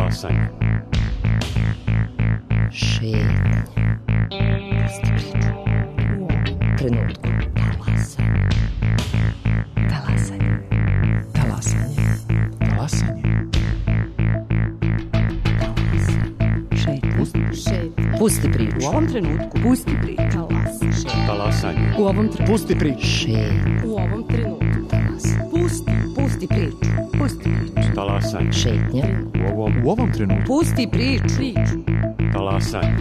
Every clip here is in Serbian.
Talasanje. Šetnja. Trenutku. Talasanje. Talasanje. Talasanje. Šetnja. Pusti priču. U ovom trenutku pusti priču. Talasanje. U ovom trenutku pusti priču. Šetnja. U ovom trenutku pusti priču. Pusti priču. Talasanje. Šetnja. U ovom trenutku. Pusti priču. Talasanje.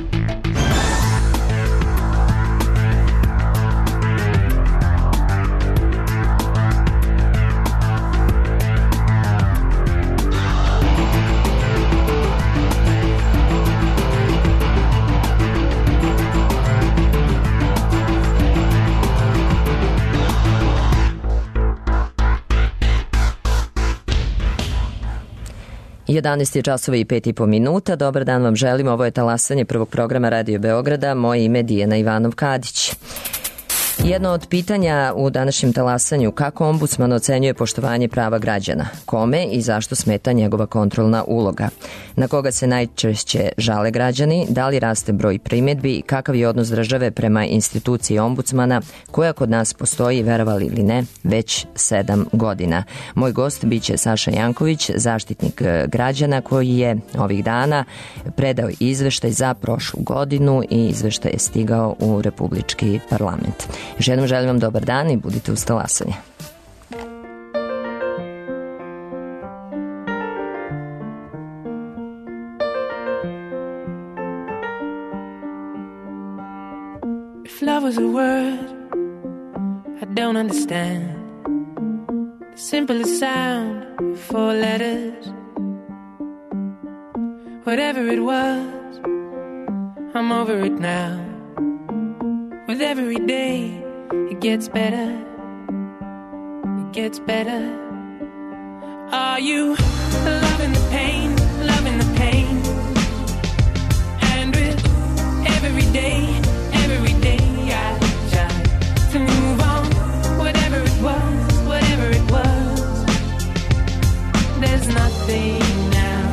Jedanaest je časova i 5,5 minuta. Dobar dan vam želim. Ovo je talasanje prvog programa Radio Beograda. Moje ime je Dijana Ivanov-Kadić. Jedno od pitanja u današnjem talasanju: kako ombudsman ocenjuje poštovanje prava građana? Kome i zašto smeta njegova kontrolna uloga? Na koga se najčešće žale građani? Da li raste broj primjedbi? Kakav je odnos države prema instituciji ombudsmana, koja kod nas postoji, verovali ili ne, već 7 godina? Moj gost biće Saša Janković, zaštitnik građana, koji je ovih dana predao izveštaj za prošlu godinu i izveštaj je stigao u Republički parlament. Još jednom želim vam dobar dan i budite uz talasanje. If love was a word I don't understand, the simplest sound, 4 letters. Whatever it was, I'm over it now. With every day, it gets better. It gets better. Are you loving the pain, loving the pain? And with every day I try to move on. Whatever it was, there's nothing now.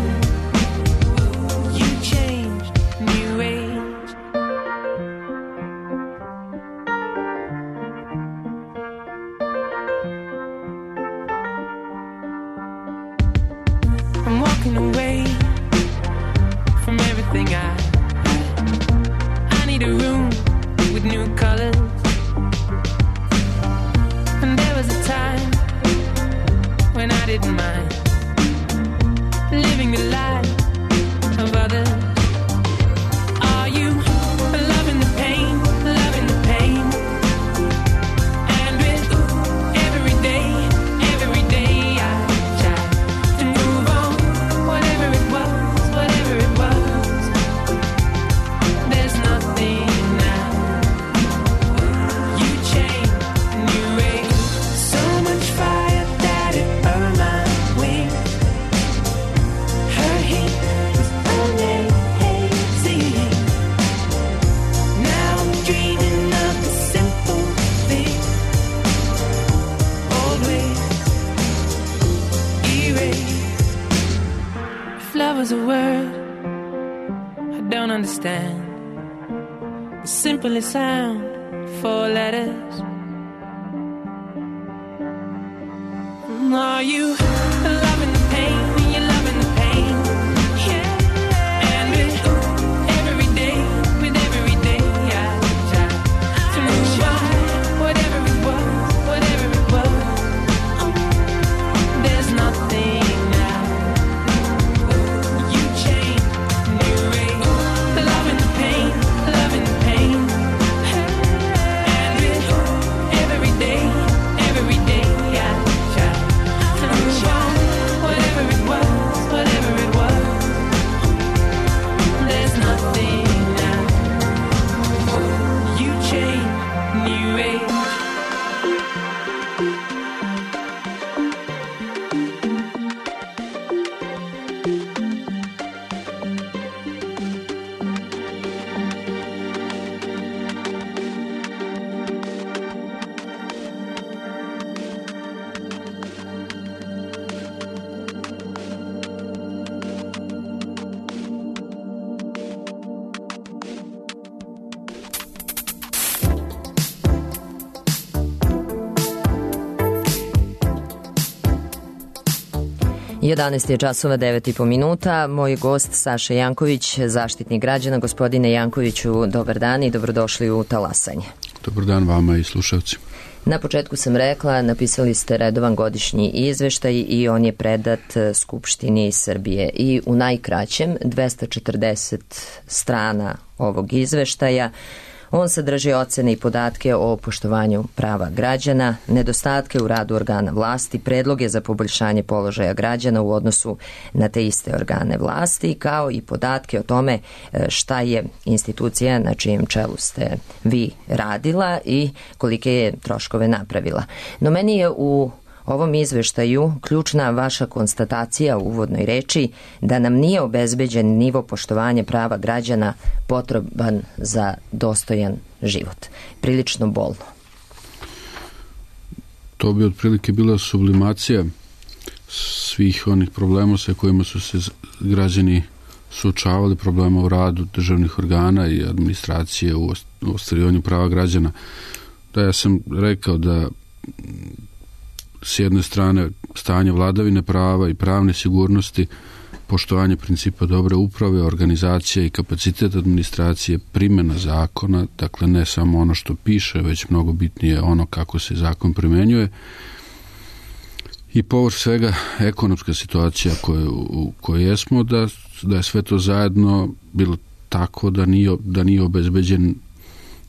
You changed, new age. I'm walking away from everything I need a room with new colors. And there was a time when I didn't mind living the life of others. Are you loving the pain, loving the pain? And with every day I try to move on. Whatever it was, there's nothing now. You changed, new age. So much fire that it burned my wings. Her heat was amazing. Now I'm dreaming of the simple thing. Old ways erased. If love was a word I don't understand, the simplest sound, 4 letters. Are you loving the pain? You're loving the pain. Yeah. And with every day I try to move on. Whatever it was, there's nothing now. You change, new age. Loving the pain, loving the pain. And with every day I try to move on. Whatever it was, there's nothing now. You change, new age. 11 je časova 9,5 minuta. Moj gost Saša Janković, zaštitnik građana. Gospodine Jankoviću, dobar dan i dobrodošli u Talasanje. Dobar dan vama i slušalci. Na početku sam rekla, napisali ste redovan godišnji izveštaj i on je predat Skupštini Srbije. I u najkraćem 240 strana ovog izveštaja on sadrži ocene i podatke o poštovanju prava građana, nedostatke u radu organa vlasti, predloge za poboljšanje položaja građana u odnosu na te iste organe vlasti, kao i podatke o tome šta je institucija na čijem čelu ste vi radila i kolike je troškove napravila. No meni je u ovom izveštaju ključna vaša konstatacija u uvodnoj reči da nam nije obezbeđen nivo poštovanja prava građana potreban za dostojan život. Prilično bolno. To bi otprilike bila sublimacija svih onih problema sa kojima su se građani suočavali, problema u radu državnih organa i administracije u ostvarivanju prava građana. Da, ja sam rekao da s jedne strane stanje vladavine prava i pravne sigurnosti, poštovanje principa dobre uprave, organizacija i kapacitet administracije, primjena zakona, dakle ne samo ono što piše, već mnogo bitnije ono kako se zakon primenjuje, i povrh svega ekonomska situacija u kojoj jesmo, da je sve to zajedno bilo tako da nije obezbeđen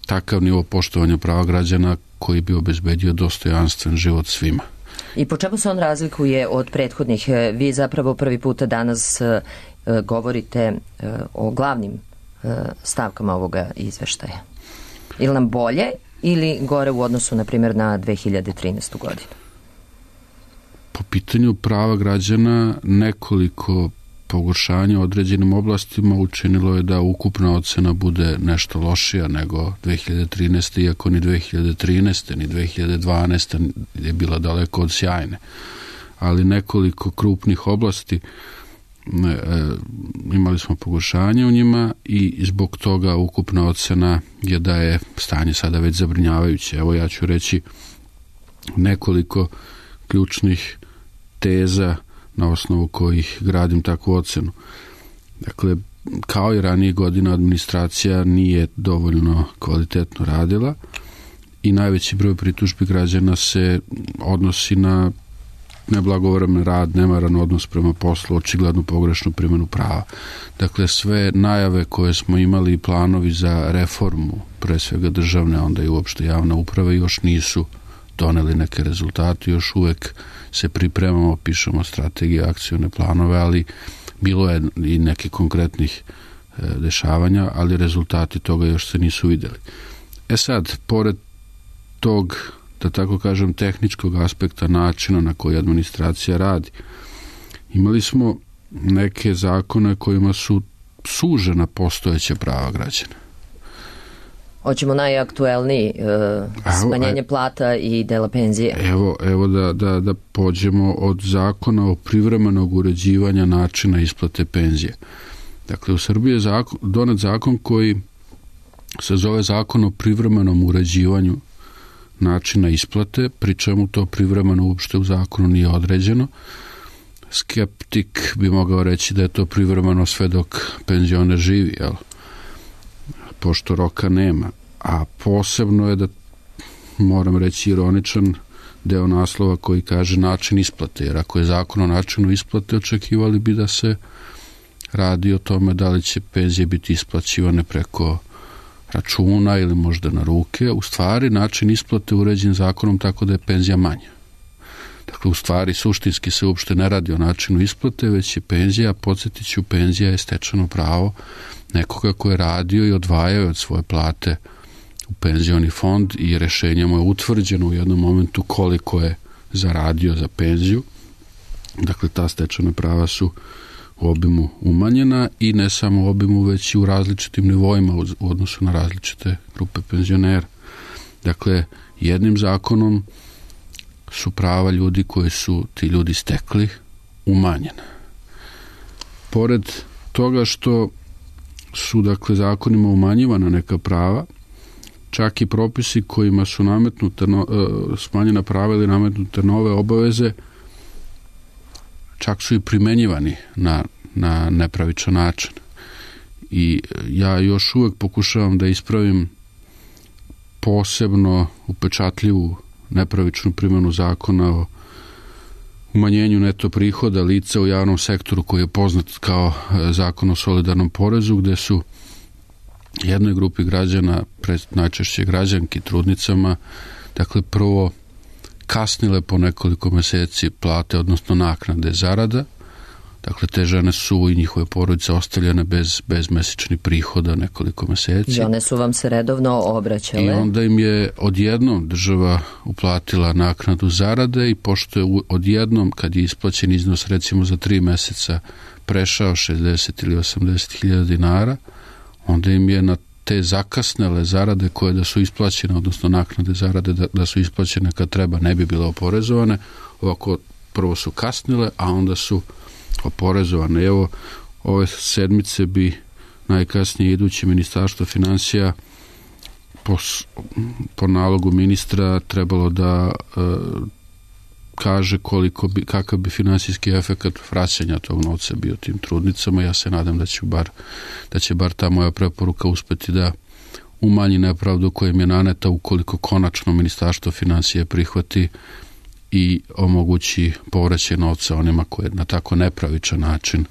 takav nivo poštovanja prava građana koji bi obezbedio dostojanstven život svima. I po čemu se on razlikuje od prethodnih? Vi zapravo prvi puta danas govorite o glavnim stavkama ovoga izveštaja. Ili nam bolje ili gore u odnosu, na primjer, na 2013. godinu? Po pitanju prava građana nekoliko pogoršanja u određenim oblastima učinilo je da ukupna ocena bude nešto lošija nego 2013. iako ni 2013. ni 2012. je bila daleko od sjajne. Ali nekoliko krupnih oblasti imali smo pogoršanje u njima i zbog toga ukupna ocena je da je stanje sada već zabrinjavajuće. Evo ja ću reći nekoliko ključnih teza na osnovu kojih gradim takvu ocenu. Dakle, kao i ranije godina, administracija nije dovoljno kvalitetno radila i najveći broj pritužbi građana se odnosi na neblagovremen rad, nemaran odnos prema poslu, očiglednu pogrešnu primjenu prava. Dakle, sve najave koje smo imali i planovi za reformu, pre svega državne, onda i uopšte javne uprave, još nisu doneli neke rezultate, još uvek se pripremamo, pišemo strategije, akcione planove, ali bilo je i nekih konkretnih dešavanja, ali rezultati toga još se nisu vidjeli. Sad, pored tog, da tako kažem, tehničkog aspekta načina na koji administracija radi, imali smo neke zakone kojima su sužena postojeća prava građana. Hoćemo najaktuelniji, smanjenje plata i dela penzije. Evo da pođemo od zakona o privremenog uređivanja načina isplate penzije. Dakle, u Srbiji je donet zakon koji se zove zakon o privremenom uređivanju načina isplate, pri čemu to privremeno uopšte u zakonu nije određeno. Skeptik bi mogao reći da je to privremeno sve dok penzioner živi, jel? Pošto roka nema, a posebno je, da moram reći ironičan, deo naslova koji kaže način isplate, jer ako je zakon o načinu isplate, očekivali bi da se radi o tome da li će penzije biti isplaćivane preko računa ili možda na ruke. U stvari način isplate uređen zakonom tako da je penzija manja. Dakle, u stvari suštinski se uopšte ne radi o načinu isplate, već je penzija, podsjetit ću, penzija je stečeno pravo nekoga ko je radio i odvajao od svoje plate u penzioni fond i rešenjem je utvrđeno u jednom momentu koliko je zaradio za penziju. Dakle, ta stečena prava su u obimu umanjena i ne samo u obimu, već i u različitim nivoima u odnosu na različite grupe penzionera. Dakle, jednim zakonom su prava ljudi koji su ti ljudi stekli umanjena. Pored toga što su, dakle, zakonima umanjivana neka prava, čak i propisi kojima su nametnute smanjena prava ili nametnute nove obaveze čak su i primenjivani na nepravičan način. I ja još uvek pokušavam da ispravim posebno upečatljivu nepravičnu primjenu zakona o umanjenju neto prihoda lica u javnom sektoru koji je poznat kao zakon o solidarnom porezu, gde su jednoj grupi građana, najčešće građanki, trudnicama, dakle prvo kasnile po nekoliko meseci plate, odnosno naknade zarada. Dakle, te žene su i njihove porodice ostavljene bez mesečnih prihoda nekoliko meseci. I one su vam se redovno obraćale. I onda im je odjednom država uplatila naknadu zarade i pošto je odjednom, kad je isplaćen iznos recimo za 3 meseca prešao 60 ili 80 hiljada dinara, onda im je na te zakasnele zarade koje da su isplaćene, odnosno naknade zarade da su isplaćene kad treba, ne bi bile oporezovane. Ovako prvo su kasnile, a onda su oporezovane. Evo, ove sedmice bi najkasnije iduće Ministarstvo finansija po nalogu ministra trebalo da kaže kakav bi finansijski efekat vraćanja tog novca bio tim trudnicama. Ja se nadam da će bar ta moja preporuka uspeti da umanji nepravdu koja im je naneta ukoliko konačno Ministarstvo finansija prihvati i omogući povraćaj novca onima koje na tako nepravičan način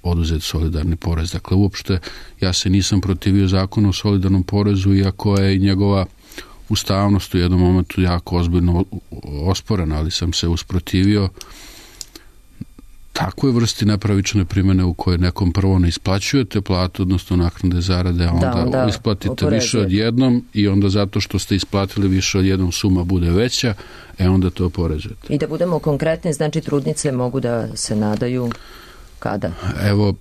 oduzet solidarni porez. Dakle, uopšte ja se nisam protivio zakonu o solidarnom porezu, iako je i njegova ustavnost u jednom momentu jako ozbiljno osporena, ali sam se usprotivio takvoj vrsti nepravične primjene u kojoj nekom prvo ne isplaćujete platu, odnosno naknade zarade, a onda isplatite više od jednom i onda zato što ste isplatili više od jednom suma bude veća, onda to oporezujete. I da budemo konkretni, znači trudnice mogu da se nadaju kada? Evo,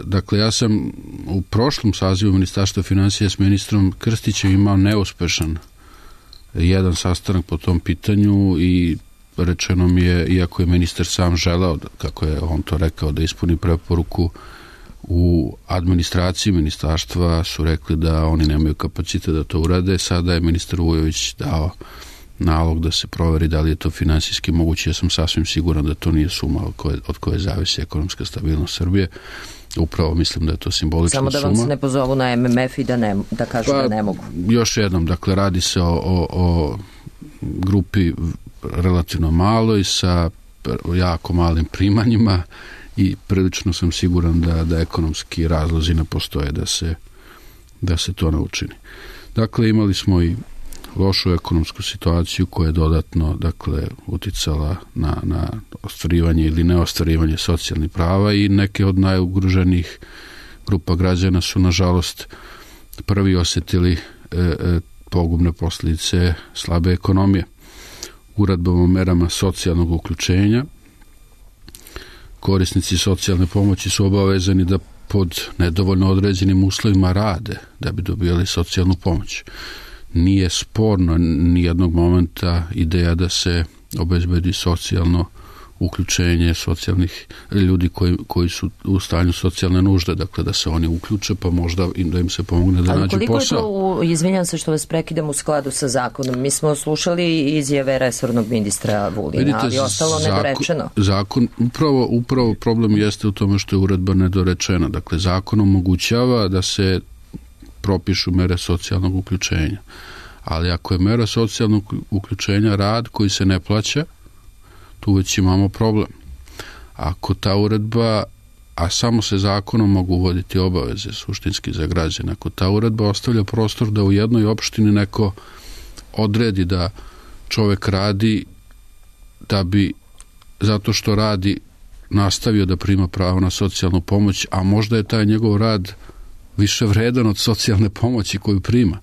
dakle, ja sam u prošlom sazivu Ministarstva finansija s ministrom Krstićem imao neuspešan jedan sastanak po tom pitanju i rečeno mi je, iako je ministar sam želeo, kako je on to rekao, da ispuni preporuku, u administraciji ministarstva su rekli da oni nemaju kapacitet da to urade. Sada je ministar Vujović dao nalog da se proveri da li je to finansijski moguće. Ja sam sasvim siguran da to nije suma od koje zavisi ekonomska stabilnost Srbije. Upravo mislim da je to simbolična suma. Samo da vam se ne pozovu na MMF i da kažu da ne mogu. Još jednom, dakle, radi se o grupi relativno maloj sa jako malim primanjima i prilično sam siguran da ekonomski razlozi ne postoje da se to ne učini. Dakle, imali smo i lošu ekonomsku situaciju koja je dodatno, dakle, uticala na ostvarivanje ili neostvarivanje socijalnih prava i neke od najugroženijih grupa građana su, nažalost, prvi osjetili pogubne posljedice slabe ekonomije. Uredbom o merama socijalnog uključenja korisnici socijalne pomoći su obavezani da pod nedovoljno određenim uslovima rade da bi dobijali socijalnu pomoć. Nije sporno ni jednog momenta ideja da se obezbedi socijalno uključenje socijalnih ljudi koji su u stanju socijalne nužde, dakle da se oni uključe pa možda da im se pomogne da nađu posao. Ali koliko je to, izvinjam se što vas prekidam, u skladu sa zakonom? Mi smo slušali izjave resornog ministra Vulina. Vidite, ali ostalo nedorečeno. Zakon, upravo problem jeste u tome što je uredba nedorečena. Dakle, zakon omogućava da se propišu mere socijalnog uključenja. Ali ako je mera socijalnog uključenja rad koji se ne plaća, tu već imamo problem. Ako ta uredba, a samo se zakonom mogu uvoditi obaveze suštinski za građane, ako ta uredba ostavlja prostor da u jednoj opštini neko odredi da čovek radi da bi zato što radi nastavio da prima pravo na socijalnu pomoć, a možda je taj njegov rad više vredan od socijalne pomoći koju prima,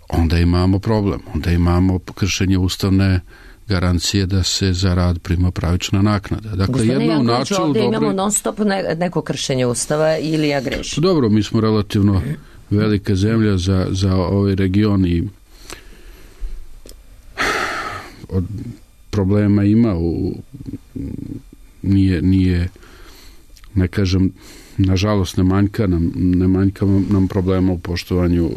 onda imamo problem. Onda imamo kršenje ustavne garancije da se za rad prima pravična naknada. Dakle, jedno u načelu ovdje imamo non stop neko kršenje ustava ili ja grešim? Dobro, mi smo relativno velika zemlja za ovaj region i od problema ima nije, ne kažem nažalost ne manjka nam problema u poštovanju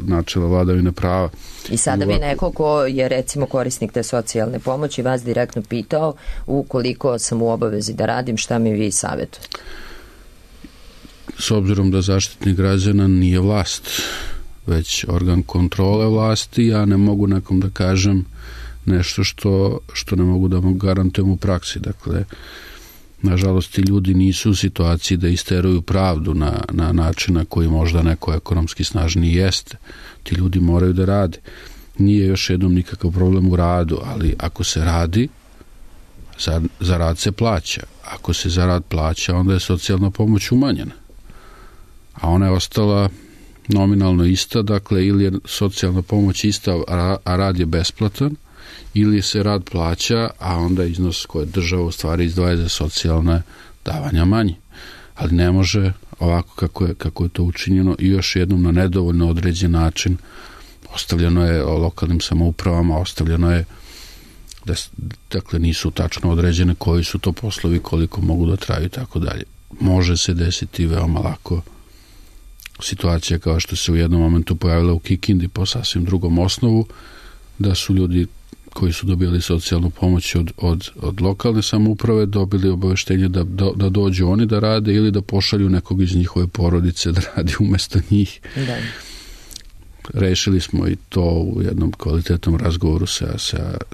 načela vladavine prava. I sada bi neko ko je recimo korisnik te socijalne pomoći vas direktno pitao, ukoliko sam u obavezi da radim, šta mi vi savjetujete? S obzirom da Zaštitnik građana nije vlast, već organ kontrole vlasti, ja ne mogu nekom da kažem nešto što ne mogu da mu garantujem u praksi. Dakle, nažalost, ti ljudi nisu u situaciji da isteruju pravdu na način na koji možda neko ekonomski snažniji jeste. Ti ljudi moraju da rade. Nije još jednom nikakav problem u radu, ali ako se radi, za rad se plaća. Ako se za rad plaća, onda je socijalna pomoć umanjena. A ona je ostala nominalno ista, dakle, ili je socijalna pomoć ista, a rad je besplatan, ili se rad plaća, a onda iznos koje država u stvari izdvaja za socijalne davanja manji. Ali ne može ovako kako je to učinjeno i još jednom na nedovoljno određen način. Ostavljeno je lokalnim samoupravama, ostavljeno je da dakle nisu tačno određene koji su to poslovi, koliko mogu da traju i tako dalje. Može se desiti veoma lako situacija kao što se u jednom momentu pojavila u Kikindi po sasvim drugom osnovu, da su ljudi koji su dobili socijalnu pomoć od lokalne samouprave dobili obaveštenje da dođu oni da rade ili da pošalju nekog iz njihove porodice da radi umjesto njih. Da. Rešili smo i to u jednom kvalitetnom razgovoru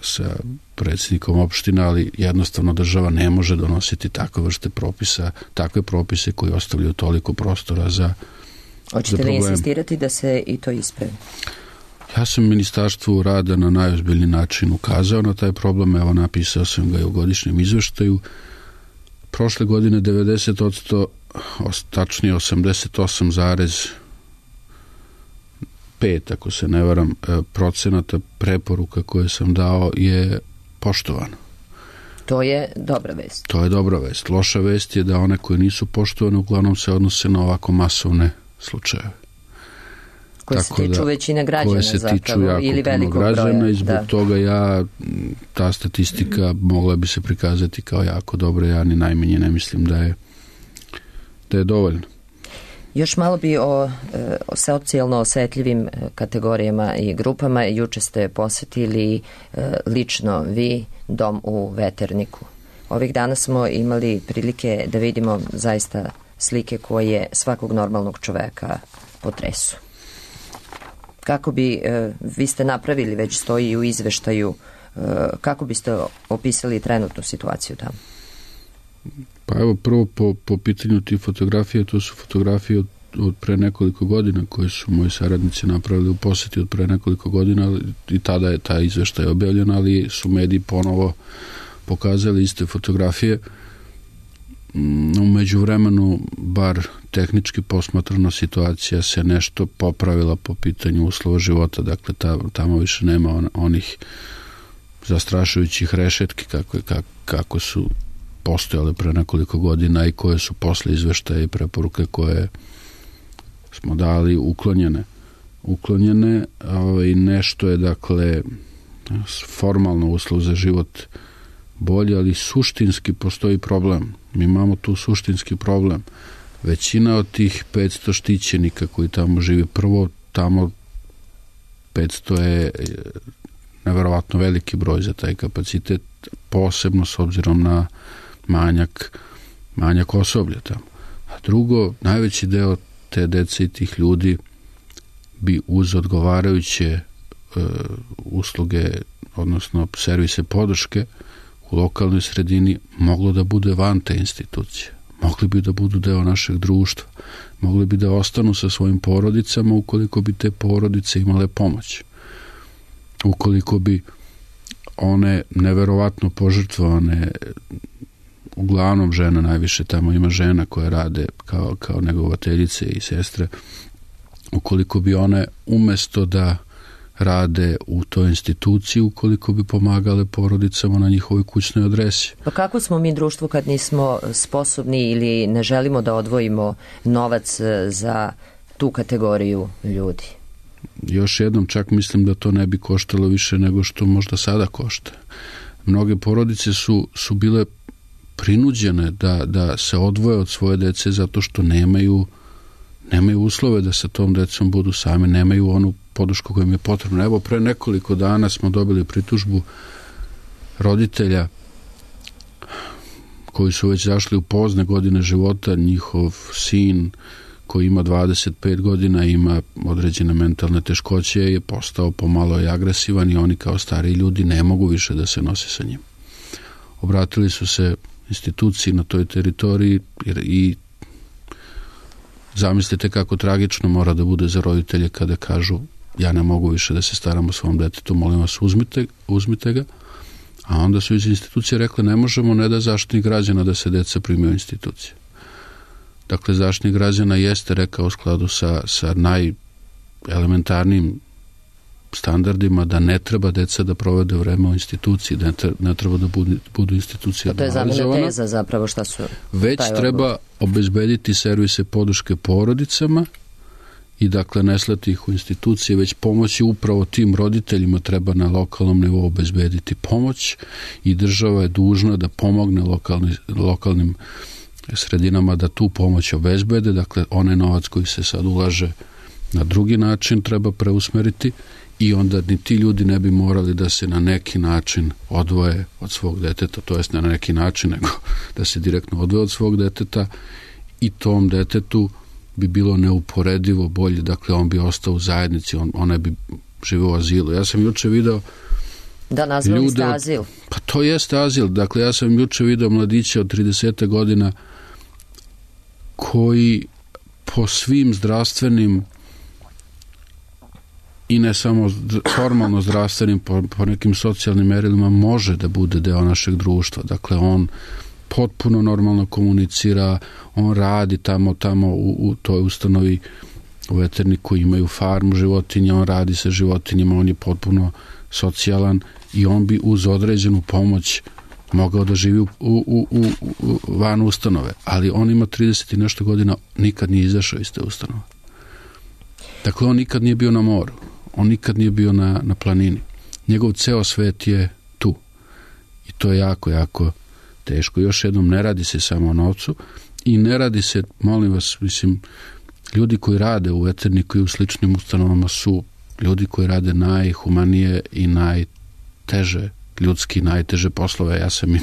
sa predsjednikom opštine, ali jednostavno država ne može donositi takve vrste propisa, takve propise koji ostavljaju toliko prostora za Hoćete li insistirati da se i to ispravi? Ja sam Ministarstvu rada na najozbiljniji način ukazao na taj problem, evo napisao sam ga i u godišnjem izveštaju. Prošle godine 90%, tačnije 88,5, ako se ne varam, procenata preporuka koje sam dao je poštovano. To je dobra vest. To je dobra vest. Loša vest je da one koje nisu poštovane uglavnom se odnose na ovako masovne slučajeve. Koje se tiču većine građana zapravo ili velikog broja. I zbog toga ta statistika mogla bi se prikazati kao jako dobra, ja ni najmanje ne mislim da je dovoljno. Još malo bi o socijalno osetljivim kategorijama i grupama. Juče ste posetili lično vi dom u Veterniku. Ovih dana smo imali prilike da vidimo zaista slike koje svakog normalnog čoveka potresu. Kako bi, vi ste napravili, već stoji u izveštaju, kako biste opisali trenutnu situaciju tamo? Pa evo, prvo po pitanju tih fotografija, to su fotografije od pre nekoliko godina koje su moji saradnici napravili u poseti od pre nekoliko godina i tada je taj izveštaj objavljen, ali su mediji ponovo pokazali iste fotografije. U međuvremenu, bar tehnički posmatrana situacija se nešto popravila po pitanju uslova života, dakle tamo više nema onih zastrašujućih rešetki kako su postojale pre nekoliko godina i koje su posle izveštaja i preporuke koje smo dali uklonjene. Nešto je dakle formalno uslov za život bolje, ali suštinski postoji problem. Mi imamo tu suštinski problem. Većina od tih 500 štićenika koji tamo žive, prvo tamo 500 je neverovatno veliki broj za taj kapacitet, posebno s obzirom na manjak osoblja tamo. A drugo, najveći deo te dece i tih ljudi bi uz odgovarajuće usluge, odnosno servise podrške u lokalnoj sredini moglo da bude van te institucije. Mogli bi da budu deo našeg društva. Mogli bi da ostanu sa svojim porodicama ukoliko bi te porodice imale pomoć. Ukoliko bi one neverovatno požrtvovane, uglavnom žena, najviše tamo ima žena koje rade kao negovateljice i sestre, ukoliko bi one umesto da rade u toj instituciji, ukoliko bi pomagale porodicama na njihovoj kućnoj adresi. Pa kako smo mi društvo kad nismo sposobni ili ne želimo da odvojimo novac za tu kategoriju ljudi? Još jednom, čak mislim da to ne bi koštalo više nego što možda sada košta. Mnoge porodice su bile prinuđene da se odvoje od svoje dece zato što nemaju uslove da sa tom decom budu sami, nemaju onu podršku koja im je potrebna. Evo, pre nekoliko dana smo dobili pritužbu roditelja koji su već zašli u pozne godine života. Njihov sin koji ima 25 godina, ima određene mentalne teškoće, je postao pomalo i agresivan i oni kao stariji ljudi ne mogu više da se nose sa njim. Obratili su se instituciji na toj teritoriji i zamislite kako tragično mora da bude za roditelje kada kažu ja ne mogu više da se staram o svom detetu, molim vas uzmite ga. A onda su iz institucije rekle ne možemo, ne da Zaštitnik građana da se deca primaju u institucije. Dakle, Zaštitnik građana jeste rekao u skladu sa najelementarnijim standardima da ne treba deca da provede vreme u instituciji, da ne treba da budu institucije normalizovane. To je zamena teza zapravo šta su... Već treba obezbediti servise podrške porodicama i dakle ne slati ih u institucije, već pomoći upravo tim roditeljima treba na lokalnom nivou obezbediti pomoć i država je dužna da pomogne lokalnim sredinama da tu pomoć obezbede, dakle onaj novac koji se sad ulaže na drugi način treba preusmeriti i onda ni ti ljudi ne bi morali da se na neki način odvoje od svog deteta, to jest ne na neki način, nego da se direktno odvoje od svog deteta i tom detetu bi bilo neuporedivo bolje, dakle on bi ostao u zajednici, onaj bi živio u azilu. Ja sam juče video da nazvali ste azil. Pa to jeste azil, dakle ja sam juče video mladića od 30 godina koji po svim zdravstvenim i ne samo formalno zdravstvenim, po nekim socijalnim merilima može da bude deo našeg društva. Dakle, on potpuno normalno komunicira, on radi tamo u toj ustanovi u veterniku, imaju farmu životinja, on radi sa životinjama, on je potpuno socijalan i on bi uz određenu pomoć mogao da živi van ustanove, ali on ima 30 i nešto godina, nikad nije izašao iz te ustanove. Dakle, on nikad nije bio na moru, on nikad nije bio na planini. Njegov ceo svet je tu. I to je jako, jako teško. Još jednom, ne radi se samo o novcu i ne radi se, molim vas, mislim, ljudi koji rade u veterniku i u sličnim ustanovama su ljudi koji rade najhumanije i najteže, ljudski najteže poslove. Ja sam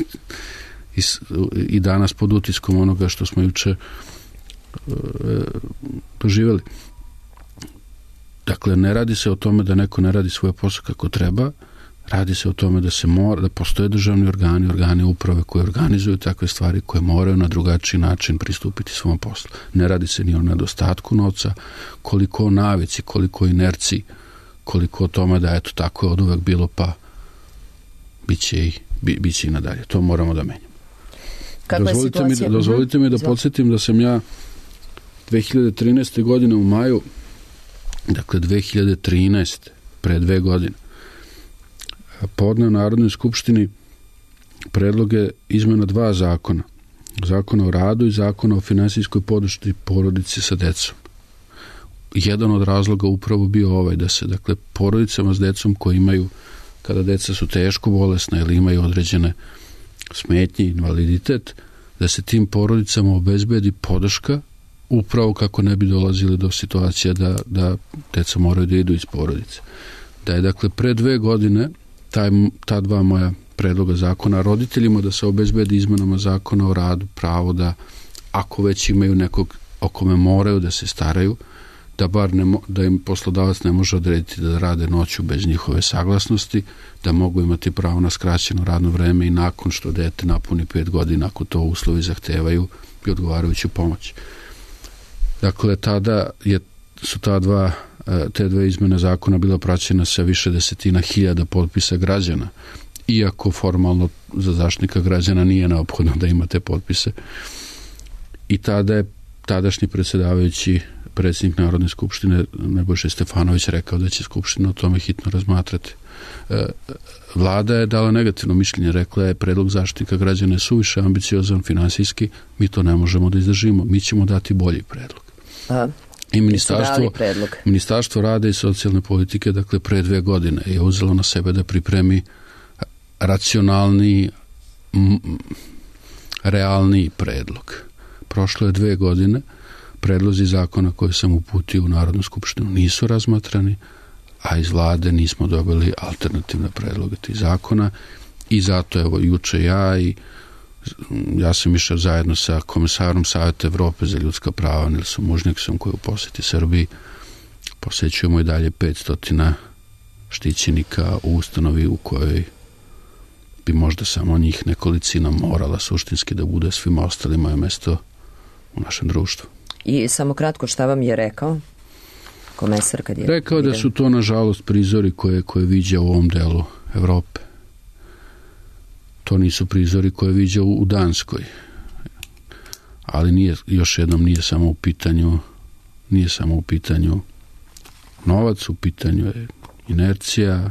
i danas pod utiskom onoga što smo juče doživjeli. Dakle, ne radi se o tome da neko ne radi svoj posao kako treba, radi se o tome da postoje državni organi uprave koji organizuju takve stvari, koje moraju na drugačiji način pristupiti svom poslu. Ne radi se ni o nedostatku novca, koliko o navici, koliko o inerciji, koliko o tome da eto tako je od uvek bilo, pa biće i nadalje. To moramo da menjamo. Dozvolite mi da podsjetim da sam ja 2013. godine u maju, dakle 2013. pre 2 godine, podneo Narodnoj skupštini predloge izmena 2 zakona. Zakona o radu i Zakona o finansijskoj podršci porodici sa decom. Jedan od razloga upravo bio ovaj, da se dakle porodicama s decom koji imaju, kada deca su teško bolesna ili imaju određene smetnje, invaliditet, da se tim porodicama obezbedi podrška upravo kako ne bi dolazili do situacija da deca moraju da idu iz porodice. Da je dakle pre 2 godine ta 2 moja predloga zakona roditeljima da se obezbedi izmenama Zakona o radu pravo da ako već imaju nekog o kome moraju da se staraju, da bar da im poslodavac ne može odrediti da rade noću bez njihove saglasnosti, da mogu imati pravo na skraćeno radno vreme i nakon što dete napuni 5 godina, ako to uslovi zahtevaju, i odgovarajuću pomoć. Dakle, tada su te 2 izmene zakona bila praćena sa više desetina hiljada potpisa građana, iako formalno za Zaštitnika građana nije neophodno da ima te potpise. I tada je tadašnji predsjedavajući predsjednik Narodne skupštine Nebojša Stefanović rekao da će Skupština o tome hitno razmatrati. Vlada je dala negativno mišljenje, rekla je predlog Zaštitnika građana je suviše ambiciozan finansijski, mi to ne možemo da izdržimo, mi ćemo dati bolji predlog. I Ministarstvo rada i socijalne politike, dakle pre 2 godine je uzelo na sebe da pripremi racionalni, realniji predlog. Prošlo je 2 godine, predlozi zakona koje sam uputio u Narodnu skupštinu nisu razmatrani, a iz vlade nismo dobili alternativne predloge tih zakona i zato evo juče ja sam išao zajedno sa komesarom Saveta Evrope za ljudska prava Nilsom Mužnjaksom koji u posjeti Srbiji. Posećujemo i dalje 500 štićenika u ustanovi u kojoj bi možda samo njih nekolicina morala suštinski da bude, svima ostalima je mesto u našem društvu. I samo kratko, šta vam je rekao komesar kad je... Rekao da su to nažalost prizori koje viđa u ovom delu Evrope. To nisu prizori koje viđa u Danskoj. Ali još jednom nije samo u pitanju novac, u pitanju je inercija.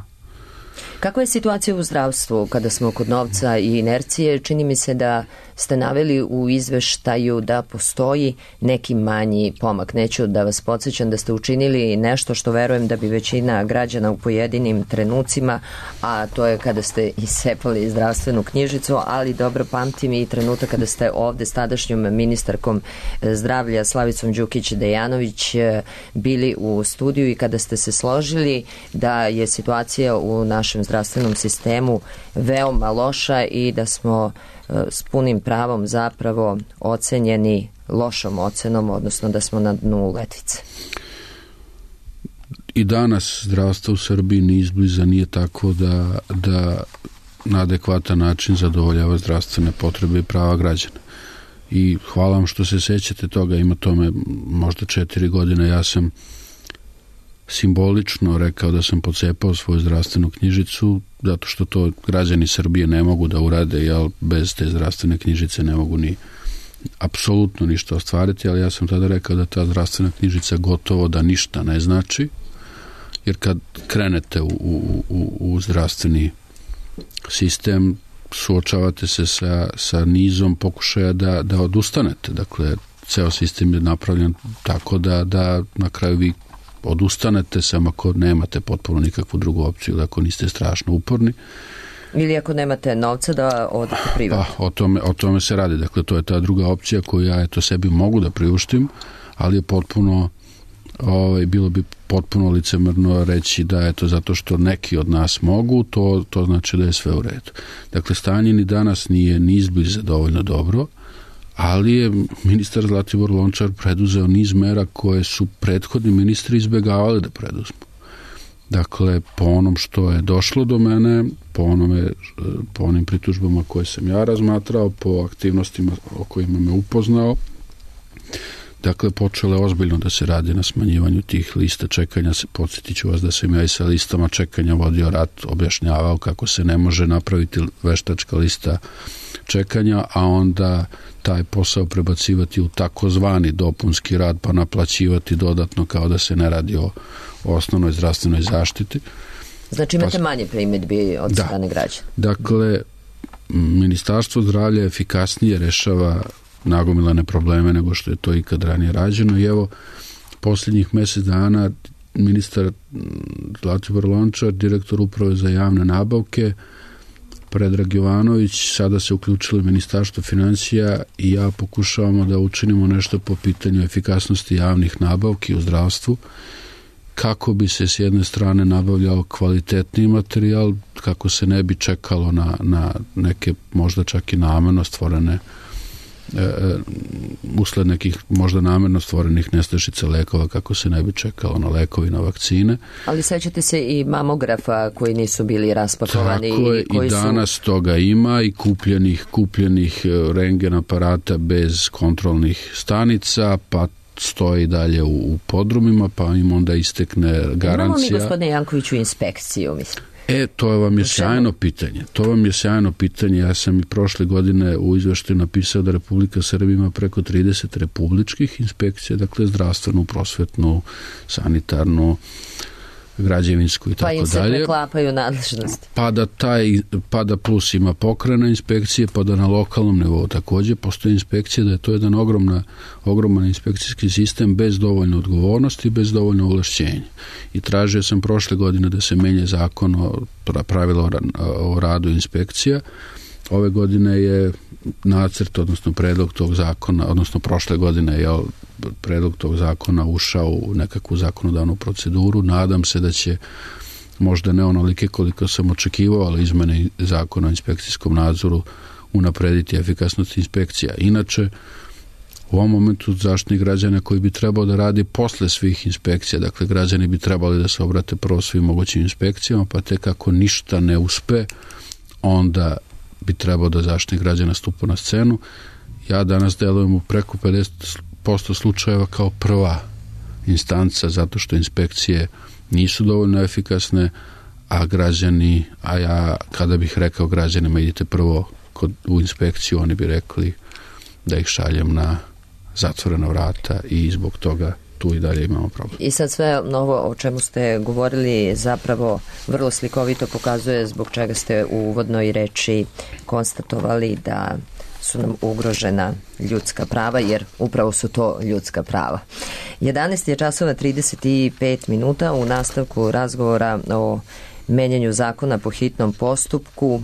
Kakva je situacija u zdravstvu kada smo kod novca i inercije? Čini mi se da ste naveli u izveštaju da postoji neki manji pomak. Neću da vas podsjećam da ste učinili nešto što verujem da bi većina građana u pojedinim trenucima, a to je kada ste iscepali zdravstvenu knjižicu, ali dobro pamtim i trenutak kada ste ovde s tadašnjom ministarkom zdravlja Slavicom Đukić-Dejanović bili u studiju i kada ste se složili da je situacija u našem zdravstvenom sistemu veoma loša i da smo s punim pravom zapravo ocenjeni lošom ocenom, odnosno da smo na dnu letvice. I danas zdravstvo u Srbiji ni izbliza nije tako da na adekvatan način zadovoljava zdravstvene potrebe i prava građana. I hvala vam što se sećate toga, ima tome možda 4 godine, ja sam simbolično rekao da sam pocepao svoju zdravstvenu knjižicu, zato što to građani Srbije ne mogu da urade, jer bez te zdravstvene knjižice ne mogu ni apsolutno ništa ostvariti, ali ja sam tada rekao da ta zdravstvena knjižica gotovo da ništa ne znači, jer kad krenete u zdravstveni sistem, suočavate se sa nizom pokušaja da odustanete. Dakle, ceo sistem je napravljen tako da na kraju vi odustanete, samo ako nemate potpuno nikakvu drugu opciju, ili ako niste strašno uporni. Ili ako nemate novca da odete privatno. O tome se radi. Dakle, to je ta druga opcija koju ja sebi mogu da priuštim, ali je potpuno bilo bi potpuno licemerno reći da je to zato što neki od nas mogu, to znači da je sve u redu. Dakle, stanje ni danas nije ni izbliza dovoljno dobro, ali je ministar Zlatibor Lončar preduzeo niz mera koje su prethodni ministri izbegavali da preduzmu. Dakle, po onom što je došlo do mene, po onim pritužbama koje sam ja razmatrao, po aktivnostima o kojima me upoznao, dakle, počelo je ozbiljno da se radi na smanjivanju tih lista čekanja. Podsjetit ću vas da sam ja i sa listama čekanja vodio rat, objašnjavao kako se ne može napraviti veštačka lista čekanja, a onda taj posao prebacivati u takozvani dopunski rad, pa naplaćivati dodatno kao da se ne radi o osnovnoj zdravstvenoj zaštiti. Znači imate manje primjedbi od strane građana. Dakle, Ministarstvo zdravlja efikasnije rešava nagomilane probleme nego što je to ikad ranije rađeno i evo, posljednjih mjesec dana ministar Zlatibor Lončar, direktor uprave za javne nabavke, Predrag Jovanović, sada se uključilo Ministarstvo financija i ja pokušavamo da učinimo nešto po pitanju efikasnosti javnih nabavki u zdravstvu, kako bi se s jedne strane nabavljao kvalitetniji materijal, kako se ne bi čekalo na neke možda čak i namerno stvorene usled nekih možda namerno stvorenih nestašica lekova, kako se ne bi čekalo na lekovi, na vakcine. Ali sećate se i mamografa koji nisu bili raspakovani. Tako je, i danas toga ima i kupljenih rentgen aparata bez kontrolnih stanica, pa stoji dalje u podrumima, pa im onda istekne garancija. Imamo mi, gospodine Jankoviću, inspekciju, mislim. To vam je sjajno pitanje. Ja sam i prošle godine u izveštaju napisao da Republika Srbija ima preko 30 republičkih inspekcija, dakle zdravstvenu, prosvetnu, sanitarnu, građevinsku i tako dalje. Pa im se preklapaju nadležnosti. Pa da plus ima pokrajna inspekcije, pa da na lokalnom nivou također postoji inspekcija, da je to jedan ogroman inspekcijski sistem bez dovoljno odgovornosti i bez dovoljno ovlašćenja. I tražio sam prošle godine da se menja zakon o pravila o radu inspekcija. ove godine je nacrt, odnosno predlog tog zakona, odnosno prošle godine je predlog tog zakona ušao u nekakvu zakonodavnu proceduru. Nadam se da će, možda ne onolike koliko sam očekivao, ali izmene zakona o inspekcijskom nadzoru unaprediti efikasnost inspekcija. Inače, u ovom momentu Zaštitnik građana koji bi trebao da radi posle svih inspekcija, dakle građani bi trebali da se obrate prvo svim mogućim inspekcijama, pa tek ako ništa ne uspe, onda bi trebao da Zaštitnik građana stupa na scenu. Ja danas delujem u preko 50% slučajeva kao prva instanca, zato što inspekcije nisu dovoljno efikasne, a ja kada bih rekao građanima idite prvo u inspekciju, oni bi rekli da ih šaljem na zatvorena vrata i zbog toga tu i dalje imamo problem. I sad sve novo o čemu ste govorili zapravo vrlo slikovito pokazuje zbog čega ste u uvodnoj reči konstatovali da su nam ugrožena ljudska prava, jer upravo su to ljudska prava. 11 je časova 35 minuta u nastavku razgovora o menjanju zakona po hitnom postupku,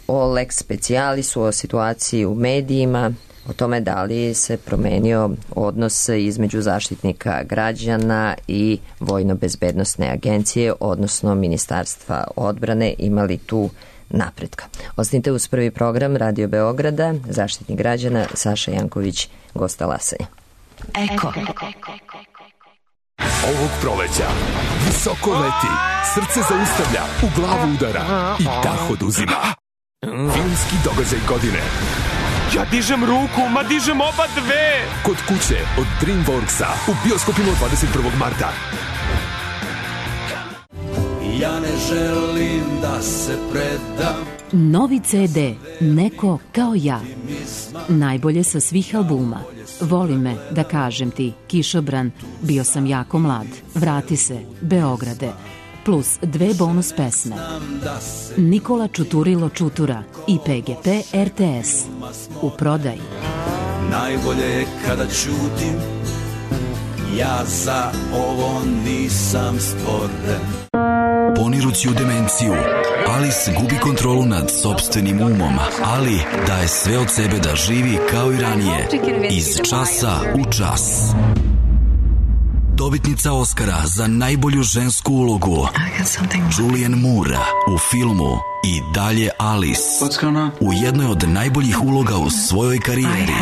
o lex specialisu, o situaciji u medijima, o tome da li se promenio odnos između Zaštitnika građana i Vojno-bezbednosne agencije, odnosno Ministarstva odbrane, imali tu napretka. Ostanite uz prvi program Radio Beograda, Zaštitnik građana Saša Janković, gost talasanja. Eko. Ovog proleća visoko leti, srce zaustavlja, u glavu udara i dah oduzima. Filmski događaj godine. Ja dižem ruku, ma dižem oba dve! Kod kuće od DreamWorksa u bioskopima 21. marta. Ja ne želim da se predam. Novi CD Neko kao ja. Najbolje sa svih albuma. Voli me, da kažem ti, Kišobran, bio sam jako mlad. Vrati se, Beograde. Plus 2 bonus pesme. Nikola Čuturilo Čutura i PGP RTS. U prodaji. Najbolje je kada ćutim. Ja za ovo nisam stvoren. Ponirući u demenciju, Alice gubi kontrolu nad sopstvenim umom, ali daje sve od sebe da živi kao i ranije, iz časa u čas. Dobitnica Oscara za najbolju žensku ulogu Julianne Moore u filmu I dalje Alice, u jednoj od najboljih uloga u svojoj karijeri.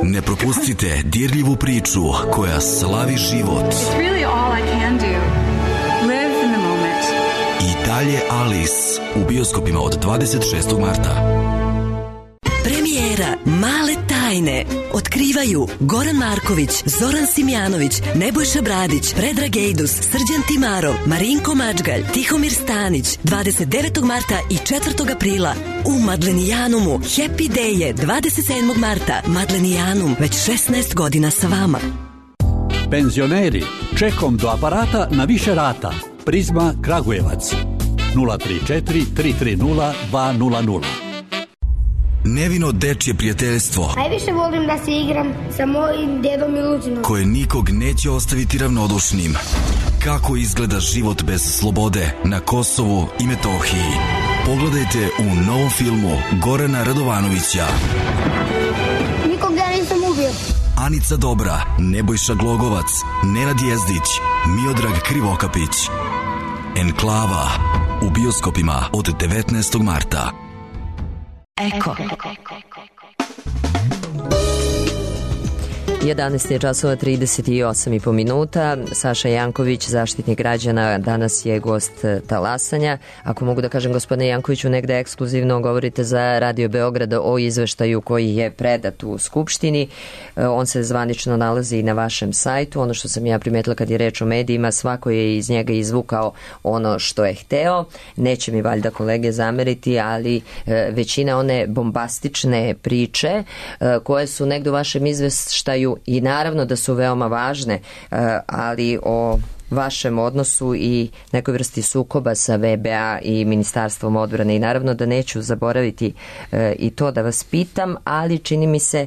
Ne propustite dirljivu priču koja slavi život. I dalje Alice u bioskopima od 26. marta. Premijera Male tajne otkrivaju Goran Marković, Zoran Simjanović, Nebojša Bradić, Predrag Ejdus, Srđan Timarov, Marinko Mačgalj, Tihomir Stanić, 29. marta i 4. aprila u Madlenijanumu. Happy Day je 27. marta. Madlenijanum, već 16 godina sa vama. Penzioneri, čekom do aparata na više rata. Prizma Kragujevac 034 330 200. Nevino dečje prijateljstvo. Najviše volim da se igram sa mojim dedom Miluđinom, koje nikog neće ostaviti ravnodušnim. Kako izgleda život bez slobode na Kosovu i Metohiji. Pogledajte u novom filmu Gorana Radovanovića. Nikog ja nisam ubio. Anica Dobra, Nebojša Glogovac, Nenad Jezdić, Miodrag Krivokapić. Enklava u bioskopima od 19. marta. Eko. 11 je časova 38,5 minuta. Saša Janković, Zaštitnik građana, danas je gost talasanja. Ako mogu da kažem, gospodine Jankoviću, negde ekskluzivno govorite za Radio Beograda o izveštaju koji je predat u Skupštini. On se zvanično nalazi na vašem sajtu. Ono što sam ja primetila kad je reč o medijima, svako je iz njega izvukao ono što je hteo. Neće mi valjda kolege zameriti, ali većina one bombastične priče koje su negde u vašem izveštaju i naravno da su veoma važne, ali o vašem odnosu i nekoj vrsti sukoba sa VBA i Ministarstvom odbrane i naravno da neću zaboraviti i to da vas pitam, ali čini mi se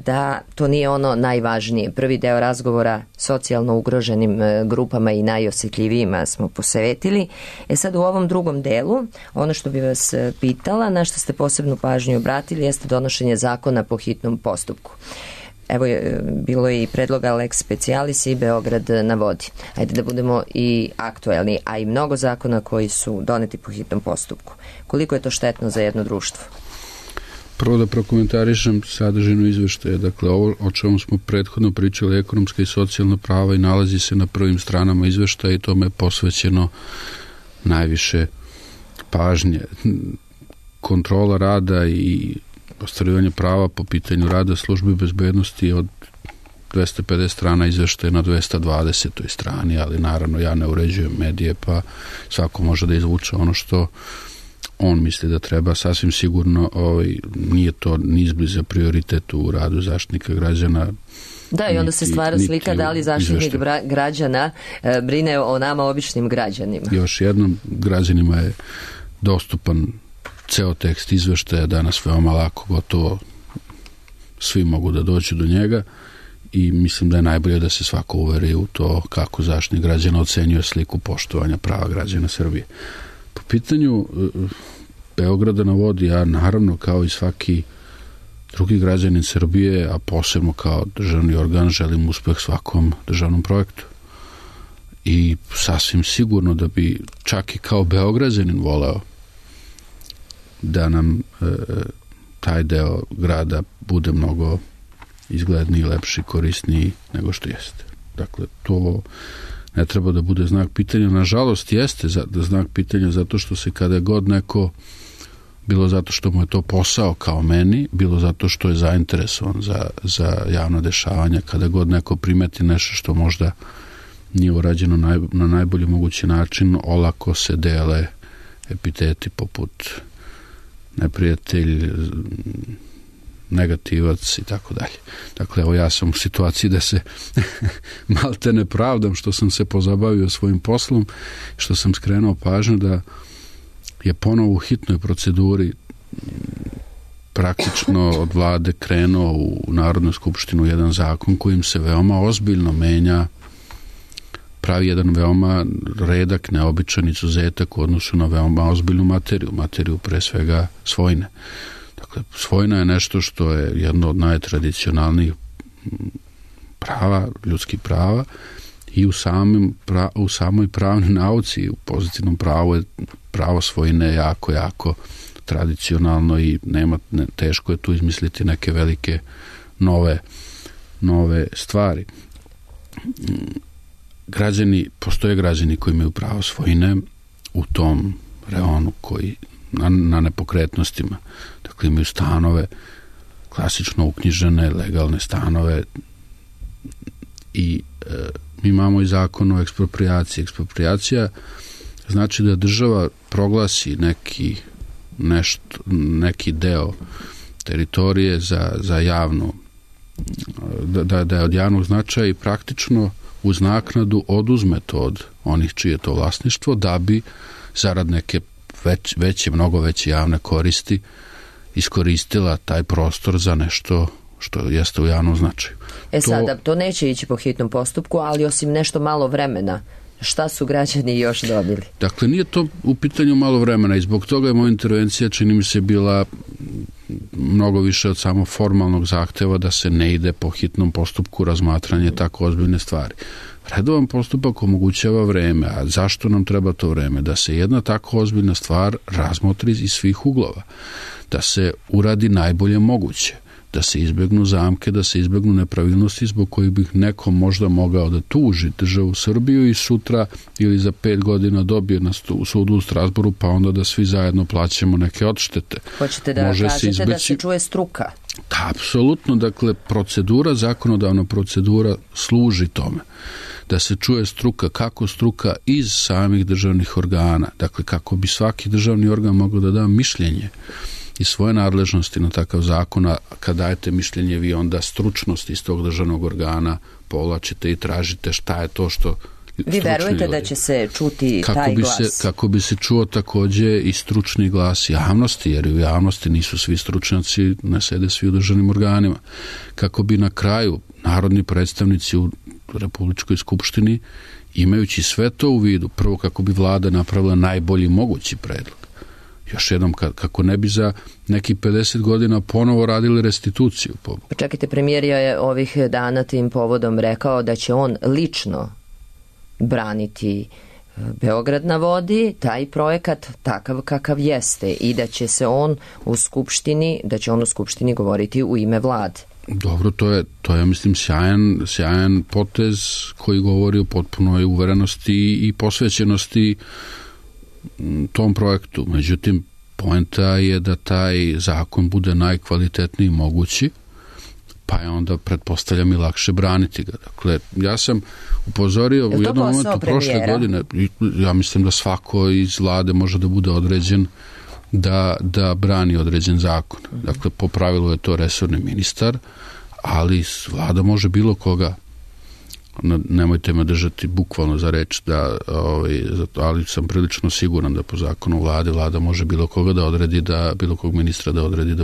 da to nije ono najvažnije. Prvi deo razgovora socijalno ugroženim grupama i najosjetljivijima smo posvetili. Sad u ovom drugom delu, ono što bi vas pitala, na što ste posebnu pažnju obratili, jeste donošenje zakona po hitnom postupku. Evo bilo je i predloga Lex Specialis i Beograd na vodi. Ajde da budemo i aktuelni, a i mnogo zakona koji su doneti po hitnom postupku. Koliko je to štetno za jedno društvo? Prvo da prokomentarišem sadržinu izveštaja. Dakle, ovo o čemu smo prethodno pričali, ekonomska i socijalna prava, i nalazi se na prvim stranama izveštaja i tome je posvećeno najviše pažnje. Kontrola rada i ostvarivanje prava po pitanju rada službe bezbednosti od 250 strana izveštaja na 220. strani, ali naravno ja ne uređujem medije, pa svako može da izvuče ono što on misli da treba. Sasvim sigurno nije to ni izbliza prioritet u radu Zaštitnika građana. Da, i onda se stvara slika da li Zaštitnik građana brine o nama običnim građanima. Još jednom, građanima je dostupan ceo tekst izveštaja, danas veoma lako, gotovo svi mogu da dođu do njega i mislim da je najbolje da se svako uveri u to kako Zaštitnik građana ocenjuje sliku poštovanja prava građana Srbije. Po pitanju Beograda na vodi, ja naravno kao i svaki drugi građanin Srbije, a posebno kao državni organ, želim uspeh svakom državnom projektu. I sasvim sigurno da bi čak i kao Beograđanin voleo da nam taj deo grada bude mnogo izgledniji, lepši, korisniji nego što jeste. Dakle, to ne treba da bude znak pitanja. Nažalost, jeste znak pitanja zato što se kada god neko, bilo zato što mu je to posao kao meni, bilo zato što je zainteresovan za javno dešavanje, kada god neko primeti nešto što možda nije urađeno na najbolji mogući način, olako se dele epiteti poput neprijatelj, negativac i tako dalje. Dakle, evo ja sam u situaciji da se malte ne pravdam što sam se pozabavio svojim poslom, što sam skrenuo pažnju da je ponovo u hitnoj proceduri praktično od vlade krenuo u Narodnu skupštinu jedan zakon kojim se veoma ozbiljno menja, pravi jedan veoma redak, neobičan izuzetak u odnosu na veoma ozbiljnu materiju pre svega svojine. Dakle, svojina je nešto što je jedno od najtradicionalnijih prava, ljudskih prava, i u samoj pravnoj nauci, u pozitivnom pravu je pravo svojine jako tradicionalno i teško je tu izmisliti neke velike nove stvari. Postoje građani koji imaju pravo svojine u tom reonu koji na nepokretnostima, dakle imaju stanove klasično uknjižene, legalne stanove i mi imamo i zakon o eksproprijaciji. Eksproprijacija znači da država proglasi neki deo teritorije za javnu, da je od javnog značaja i praktično uz naknadu oduzme to od onih čije to vlasništvo, da bi zarad neke mnogo veće javne koristi iskoristila taj prostor za nešto što jeste u javnom značaju. Sada, to neće ići po hitnom postupku, ali osim nešto malo vremena, šta su građani još dobili? Dakle, nije to u pitanju malo vremena i zbog toga je moja intervencija, čini mi se, bila mnogo više od samo formalnog zahteva da se ne ide po hitnom postupku razmatranje tako ozbiljne stvari. Redovan postupak omogućava vreme, a zašto nam treba to vreme? Da se jedna tako ozbiljna stvar razmotri iz svih uglova, da se uradi najbolje moguće, da se izbegnu zamke, da se izbegnu nepravilnosti zbog kojih bih neko možda mogao da tuži državu Srbiju i sutra ili za 5 godina dobije na sudu u Strasbourgu, pa onda da svi zajedno plaćamo neke odštete. Hoćete da kažete da se čuje struka? Da, apsolutno. Dakle, zakonodavna procedura služi tome. Da se čuje struka, kako struka iz samih državnih organa. Dakle, kako bi svaki državni organ mogao da da mišljenje i svoje nadležnosti na takav zakon, a kad dajete mišljenje vi onda stručnost iz tog državnog organa povlačite i tražite šta je to što Vi verujete da će se čuti taj glas? Kako bi se čuo takođe i stručni glas javnosti, jer u javnosti nisu svi stručnjaci, ne sede svi u državnim organima. Kako bi na kraju narodni predstavnici u Republičkoj skupštini, imajući sve to u vidu, prvo kako bi vlada napravila najbolji mogući predlog. Još jednom, kako ne bi za nekih 50 godina ponovo radili restituciju. Čekajte, premijer je ovih dana tim povodom rekao da će on lično braniti Beograd na vodi, taj projekat takav kakav jeste, i da će se on u Skupštini govoriti u ime vlade. Dobro, to je mislim sjajan potez koji govori o potpunoj uverenosti i posvećenosti tom projektu. Međutim, poenta je da taj zakon bude najkvalitetniji mogući, pa je onda, pretpostavljam, i lakše braniti ga. Dakle, ja sam upozorio u jednom momentu prošle godine, ja mislim da svako iz vlade može da bude određen da brani određen zakon. Dakle, po pravilu je to resorni ministar, ali vlada može bilo koga. Nemojte me držati bukvalno za reč, ali sam prilično siguran da po zakonu vlada može bilo koga da odredi, bilo kog ministra da odredi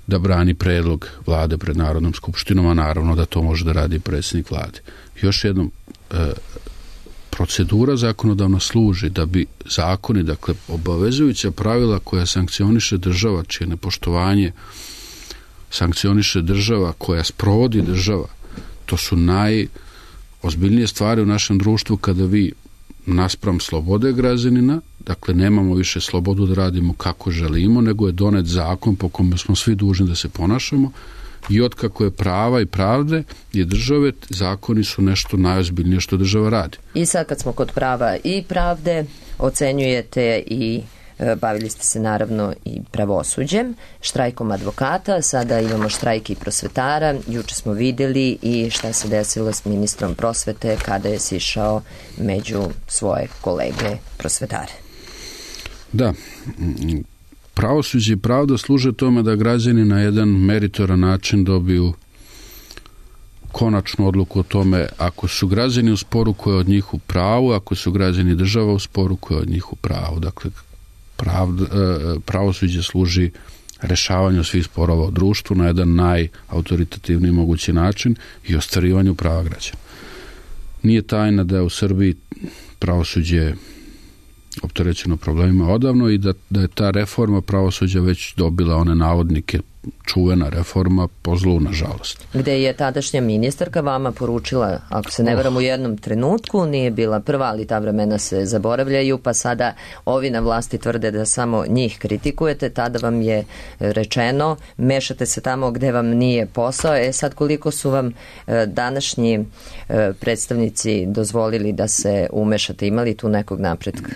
da brani predlog vlade pred Narodnom skupštinom, a naravno da to može da radi predsjednik vlade. Još jednom, procedura zakonodavno služi da bi zakoni, dakle obavezujuća pravila koja sankcioniše država, čije nepoštovanje sankcioniše država, koja sprovodi država, to su najozbiljnije stvari u našem društvu kada vi naspram slobode građanina, dakle nemamo više slobodu da radimo kako želimo, nego je donet zakon po kome smo svi dužni da se ponašamo, i otkako je prava i pravde i države, zakoni su nešto najozbiljnije što država radi. I sad kad smo kod prava i pravde, ocenjujete i bavili ste se naravno i pravosuđem, štrajkom advokata, sada imamo štrajk i prosvetara, juče smo videli i šta se desilo s ministrom prosvete kada je sišao među svoje kolege prosvetare. Da, pravosuđe i pravda služe tome da građani na jedan meritoran način dobiju konačnu odluku o tome ako su građani u sporu koje je od njih u pravu, ako su građani država u sporu koje je od njih u pravu. Dakle, pravosuđe služi rešavanju svih sporova u društvu na jedan najautoritativniji mogući način i ostvarivanju prava građana. Nije tajna da je u Srbiji pravosuđe opterećeno problemima odavno i da je ta reforma pravosuđa već dobila one navodnike, čuvena reforma, po zlu, nažalost. Gde je tadašnja ministarka vama poručila, ako se ne varam u jednom trenutku, nije bila prva, ali ta vremena se zaboravljaju, pa sada ovi na vlasti tvrde da samo njih kritikujete, tada vam je rečeno, mešate se tamo gde vam nije posao. Sad koliko su vam današnji predstavnici dozvolili da se umešate, imali tu nekog napretka?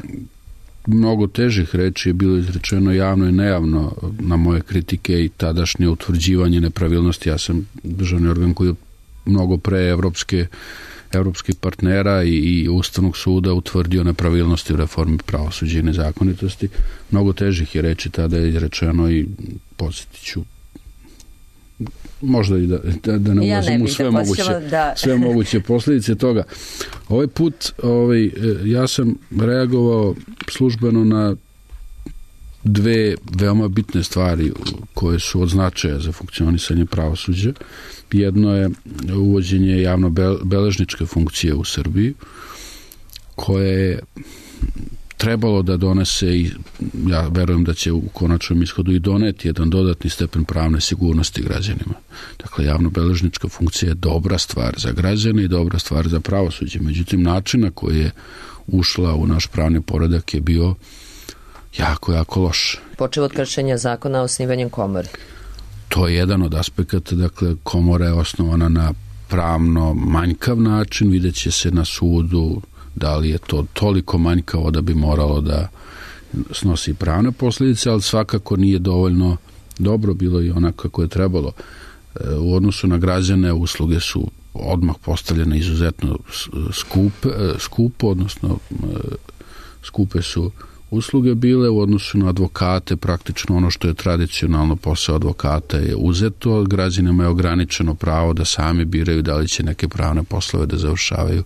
Mnogo težih reči je bilo izrečeno javno i nejavno na moje kritike i tadašnje utvrđivanje nepravilnosti. Ja sam državni organ koji je mnogo pre evropskih partnera i Ustavnog suda utvrdio nepravilnosti u reformi pravosuđa i nezakonitosti. Mnogo težih je reči tada je izrečeno i podsjetit ću, možda i da ne ulazim u sve moguće posljedice toga. Ovaj put ja sam reagovao službeno na dve veoma bitne stvari koje su od značaja za funkcionisanje pravosuđa. Jedno je uvođenje javno-beležničke funkcije u Srbiji, koje je trebalo da donese, i ja verujem da će u konačnom ishodu i doneti jedan dodatni stepen pravne sigurnosti građanima. Dakle, javno-beležnička funkcija je dobra stvar za građane i dobra stvar za pravosuđe. Međutim, način na koji je ušla u naš pravni poredak je bio jako loš. Počeo od kršenja zakona o osnivanju komore. To je jedan od aspekata, dakle, komora je osnovana na pravno manjkav način, vidjet će se na sudu da li je to toliko manjkavo da bi moralo da snosi pravne posljedice, ali svakako nije dovoljno dobro bilo i onako kako je trebalo. U odnosu na građane usluge su odmah postavljene izuzetno skupo, odnosno skupe su usluge bile. U odnosu na advokate, praktično ono što je tradicionalno posao advokata je uzeto, građanima je ograničeno pravo da sami biraju da li će neke pravne poslove da završavaju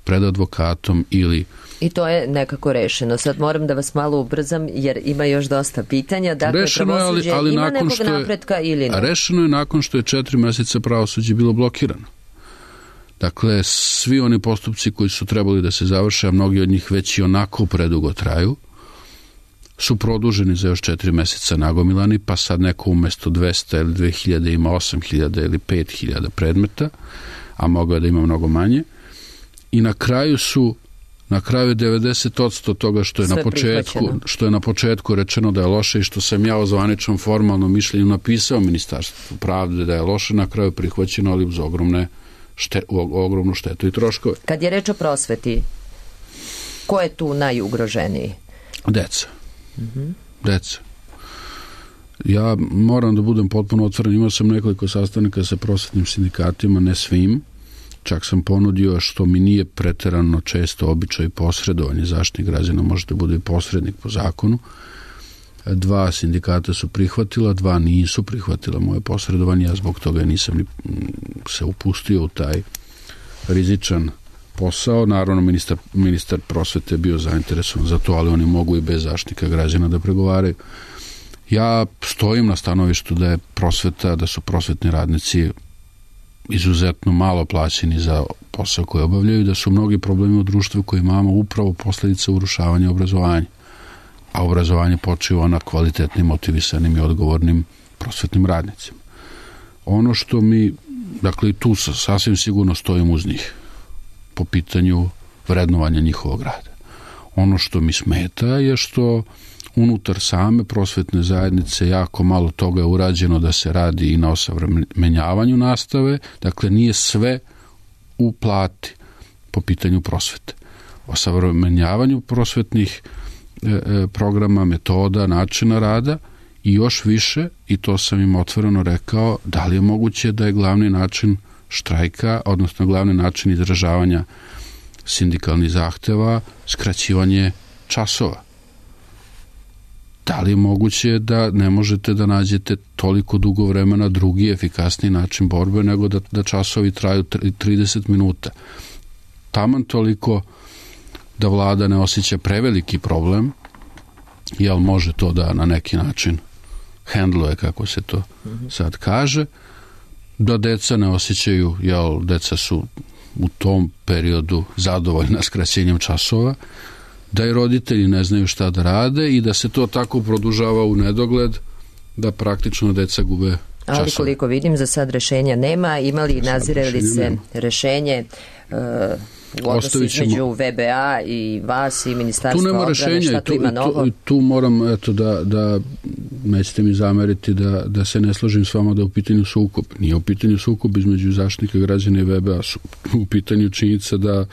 pred advokatom ili... I to je nekako rešeno. Sad moram da vas malo ubrzam jer ima još dosta pitanja. Dakle, rešeno je, ali ima nakon nekog što je, napretka ili ne? Rešeno je nakon što je 4 meseca pravosuđe bilo blokirano. Dakle, svi oni postupci koji su trebali da se završe, a mnogi od njih već i onako predugo traju, su produženi za još 4 meseca nagomilani, pa sad neko umesto 200 ili 2000 ima 8000 ili 5000 predmeta, a mogao je da ima mnogo manje. I na kraju je 90% toga što je na početku rečeno da je loše i što sam ja o zvaničnom formalnom mišljenju napisao Ministarstvu pravde da je loše, na kraju prihvaćeno, ali uz ogromnu štetu i troškove. Kad je reč o prosveti, ko je tu najugroženiji? Deca. Deca. Ja moram da budem potpuno otvoren, imao sam nekoliko sastanaka sa prosvetnim sindikatima, ne svim, čak sam ponudio, što mi nije preterano često običaj posredovanje, Zaštitnik građana može da bude i posrednik po zakonu. 2 sindikata su prihvatila, 2 nisu prihvatila moje posredovanje, ja zbog toga nisam ni se upustio u taj rizičan posao. Naravno, ministar prosvete je bio zainteresovan za to, ali oni mogu i bez Zaštitnika građana da pregovaraju. Ja stojim na stanovištu da je prosveta, da su prosvetni radnici izuzetno malo plaćeni za posao koji obavljaju, da su mnogi problemi u društvu koji imamo upravo posledica urušavanja obrazovanja. A obrazovanje počiva na kvalitetnim, motivisanim i odgovornim prosvetnim radnicima. Ono što dakle i tu sasvim sigurno stojim uz njih po pitanju vrednovanja njihovog rada. Ono što mi smeta je što unutar same prosvetne zajednice jako malo toga je urađeno da se radi i na osavremenjavanju nastave, dakle nije sve u plati po pitanju prosvete. Osavremenjavanju prosvetnih programa, metoda, načina rada i još više, i to sam im otvoreno rekao, da li je moguće da je glavni način štrajka, odnosno glavni način izražavanja sindikalnih zahteva skraćivanje časova. Da li je moguće da ne možete da nađete toliko dugo vremena drugi efikasniji način borbe nego da časovi traju 30 minuta? Taman toliko da vlada ne osjeća preveliki problem, jel može to da na neki način hendluje, kako se to sad kaže, da deca ne osjećaju, jel deca su u tom periodu zadovoljna skraćenjem časova, da i roditelji ne znaju šta da rade i da se to tako produžava u nedogled da praktično deca gube časove. Ali koliko vidim, za sad rešenja nema. Ima li, nazire li se rešenje u odnosu između VBA i vas i Ministarstva odbrane, šta tu ima novo? Tu moram, da nećete mi zameriti da se ne složim s vama da je u pitanju sukob. Nije u pitanju sukob između Zaštitnika građana i VBA. U pitanju činjenica da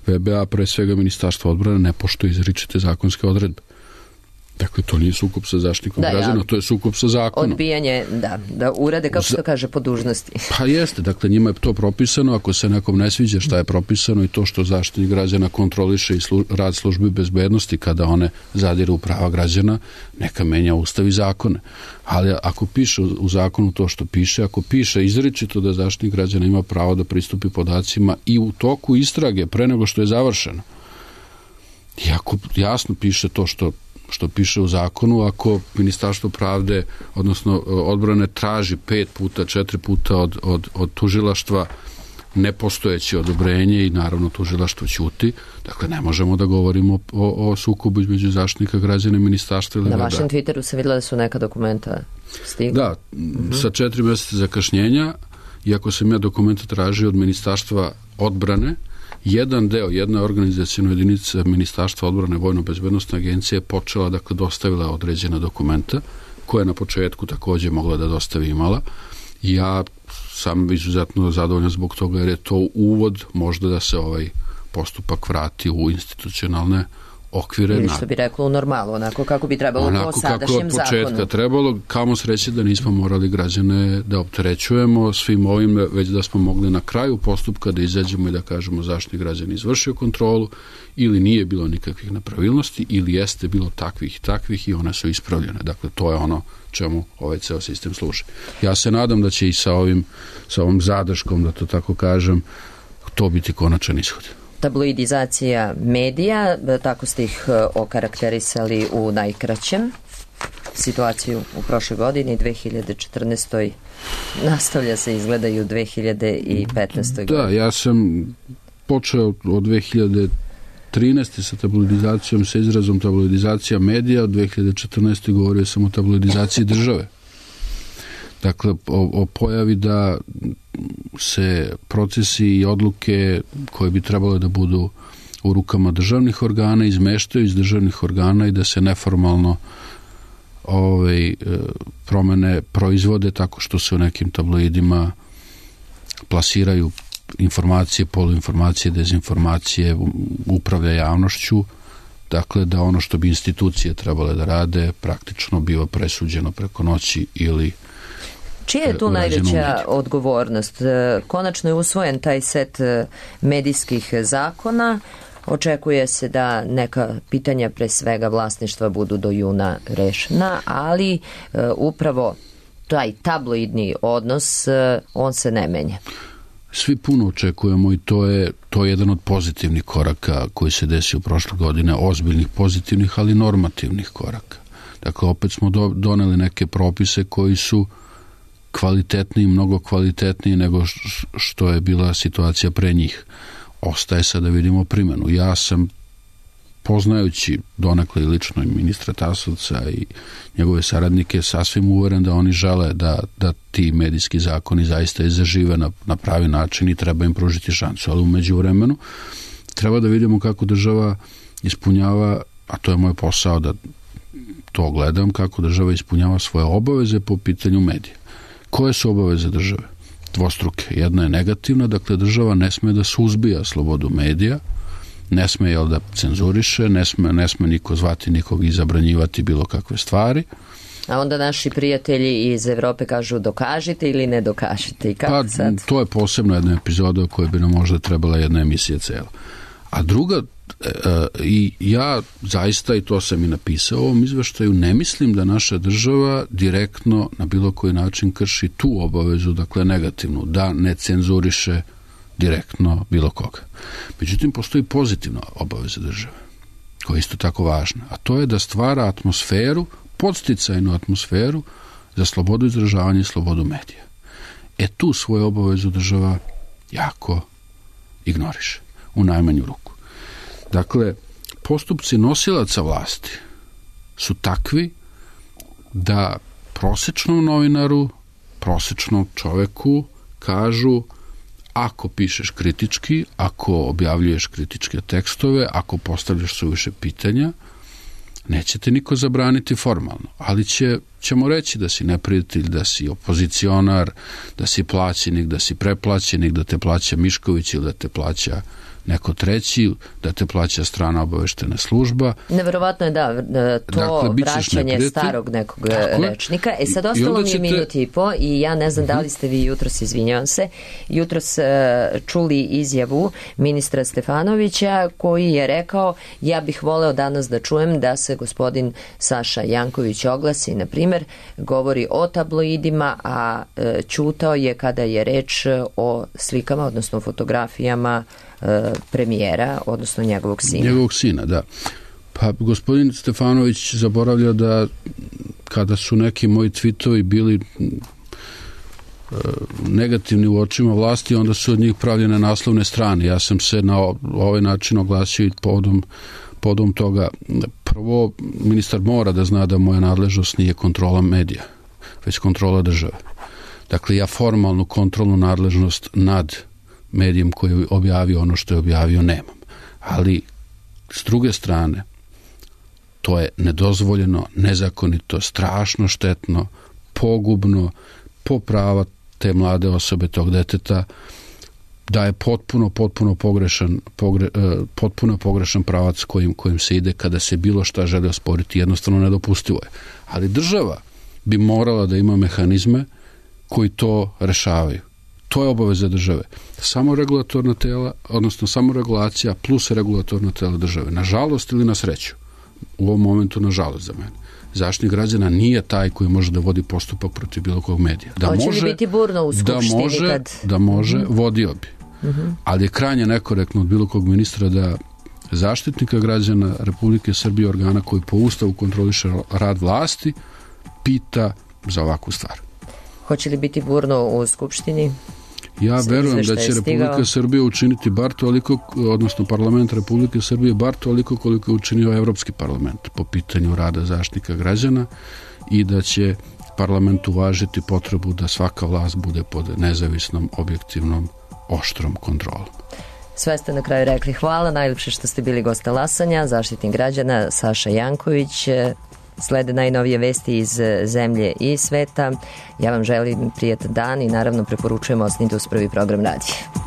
VBA, pre svega Ministarstva odbrane, ne poštuje izričite zakonske odredbe. Dakle, to nije sukob sa Zaštitnikom građana, to je sukob sa zakonom. Odbijanje, da urade, kako se to kaže, po dužnosti. Pa jeste, dakle, njima je to propisano, ako se nekom ne sviđa šta je propisano i to što Zaštitnik građana kontroliše i rad službi bezbednosti kada one zadiru u prava građana, neka menja ustav i zakone. Ali ako piše u zakonu to što piše, ako piše izričito da Zaštitnik građana ima pravo da pristupi podacima i u toku istrage pre nego što je završeno, i ako jasno piše to što piše u zakonu, ako Ministarstvo pravde, odnosno odbrane, traži 5 puta, 4 puta od tužilaštva nepostojeće odobrenje i naravno tužilaštvo ćuti, dakle ne možemo da govorimo o sukobu između Zaštitnika građana i Ministarstva ili Na vašem Twitteru se vidjela da su neka dokumenta stigla. Da, sa 4 meseca zakašnjenja, iako sam ja dokumenta tražio od Ministarstva odbrane, jedan deo, jedna organizacijna jedinica Ministarstva odbrane Vojno-bezbednostna agencija je počela, dakle, dostavila određena dokumenta, koje je na početku takođe mogla da dostavi imala. Ja sam izuzetno zadovoljan zbog toga, jer je to uvod možda da se ovaj postupak vrati u institucionalne okvire. Ili što bi reklo u normalu, onako kako bi trebalo po sadašnjem zakonu. Onako kako od početka trebalo, kamo sreće da nismo morali građane da opterećujemo svim ovim, već da smo mogli na kraju postupka da izađemo i da kažemo Zaštitnik građana izvršio kontrolu ili nije bilo nikakvih nepravilnosti ili jeste bilo takvih i takvih i one su ispravljene. Dakle, to je ono čemu ovaj ceo sistem služi. Ja se nadam da će i sa ovom zadrškom, da to tako kažem, to biti konačan ishod. tabloidizacija medija, tako ste ih okarakterisali u najkraćem. Situaciju u prošloj godini, 2014. nastavlja se, izgleda i u 2015. godini. Da, ja sam počeo od 2013. sa tabloidizacijom, sa izrazom tabloidizacija medija, od 2014. govorio sam o tabloidizaciji države. Dakle, o pojavi da se procesi i odluke koje bi trebalo da budu u rukama državnih organa izmeštaju iz državnih organa i da se neformalno promene proizvode tako što se u nekim tabloidima plasiraju informacije, poluinformacije, dezinformacije, upravlja javnošću, dakle da ono što bi institucije trebale da rade praktično biva presuđeno preko noći ili čija je tu najveća odgovornost? Konačno je usvojen taj set medijskih zakona. Očekuje se da neka pitanja, pre svega vlasništva, budu do juna rešena, ali upravo taj tabloidni odnos, on se ne menja. Svi puno očekujemo i to je jedan od pozitivnih koraka koji se desio prošle godine, ozbiljnih pozitivnih, ali normativnih koraka. Dakle, opet smo doneli neke propise koji su kvalitetniji, mnogo kvalitetniji nego što je bila situacija pre njih. Ostaje sad da vidimo primjenu. Ja sam, poznajući donekle i lično i ministra Tasovca i njegove saradnike, sasvim uveren da oni žele da ti medijski zakoni zaista i zažive na pravi način i treba im pružiti šansu. Ali u međuvremenu treba da vidimo kako država ispunjava, a to je moj posao da to gledam, kako država ispunjava svoje obaveze po pitanju medija. Koje su obaveze države? Dvostruke. Jedna je negativna, dakle država ne sme da suzbija slobodu medija, ne sme da cenzuriše, ne sme niko zvati nikog i zabranjivati bilo kakve stvari. A onda naši prijatelji iz Evrope kažu dokažite ili ne dokažite. I kako sad? To je posebno jedna epizoda o kojoj bi nam možda trebala jedna emisija cela. A druga, i ja zaista, i to sam i napisao u ovom izveštaju, ne mislim da naša država direktno na bilo koji način krši tu obavezu, dakle negativnu, da ne cenzuriše direktno bilo koga. Međutim, postoji pozitivna obaveza države, koja je isto tako važna, a to je da stvara atmosferu, podsticajnu atmosferu za slobodu izražavanja i slobodu medija. Tu svoju obavezu država jako ignoriše, u najmanju ruku. Dakle, postupci nosilaca vlasti su takvi da prosečnom novinaru, prosečnom čoveku kažu: ako pišeš kritički, ako objavljuješ kritičke tekstove, ako postavljaš suviše pitanja, neće te niko zabraniti formalno, ali ćemo reći da si neprijatelj, da si opozicionar, da si plaćenik, da si preplaćenik, da te plaća Mišković ili da te plaća neko treći, da te plaća strana obaveštena služba. Neverovatno je to dakle, vraćanje starog nekog rečnika. Sad ostalo mi je minut i po i ja ne znam da li ste vi jutros, izvinjavam se, jutros čuli izjavu ministra Stefanovića koji je rekao: ja bih voleo danas da čujem da se gospodin Saša Janković oglasi, na primjer, govori o tabloidima, a ćutao je kada je reč o slikama, odnosno fotografijama premijera, odnosno njegovog sina. Njegovog sina, da. Pa gospodin Stefanović zaboravlja da kada su neki moji tweetovi bili negativni u očima vlasti, onda su od njih pravljene naslovne strane. Ja sam se na ovaj način oglasio i povodom toga. Prvo, ministar mora da zna da moja nadležnost nije kontrola medija, već kontrola države. Dakle, ja formalnu kontrolnu nadležnost nad medijem koji je objavio ono što je objavio nemam. Ali, s druge strane, to je nedozvoljeno, nezakonito, strašno štetno, pogubno, po prava te mlade osobe, tog deteta, da je potpuno pogrešan pravac kojim se ide kada se bilo šta želi osporiti, jednostavno nedopustivo je. Ali država bi morala da ima mehanizme koji to rešavaju. To je obaveza države. Samo regulatorna tela, odnosno samo regulacija plus regulatorna tela države. Nažalost ili na sreću. U ovom momentu nažalost za mene. Zaštitnik građana nije taj koji može da vodi postupak protiv bilo kog medija. Hoće li biti burno u Skupštini? Da može, vodio bi. ali je krajnje nekorektno od bilo kog ministra da Zaštitnika građana Republike Srbije, organa koji po Ustavu kontroliše rad vlasti, pita za ovakvu stvar. Hoće li biti burno u Skupštini? Ja verujem da će Republika Srbija učiniti bar toliko, odnosno parlament Republike Srbije bar toliko koliko je učinio Evropski parlament po pitanju rada Zaštitnika građana i da će parlament uvažiti potrebu da svaka vlast bude pod nezavisnom, objektivnom, oštrom kontrolom. Sve ste na kraju rekli. Hvala, najljepše što ste bili gost talasanja. Zaštitnik građana Saša Janković. Slede najnovije vesti iz zemlje i sveta. Ja vam želim prijatan dan i naravno preporučujem ostanite uz prvi program radija.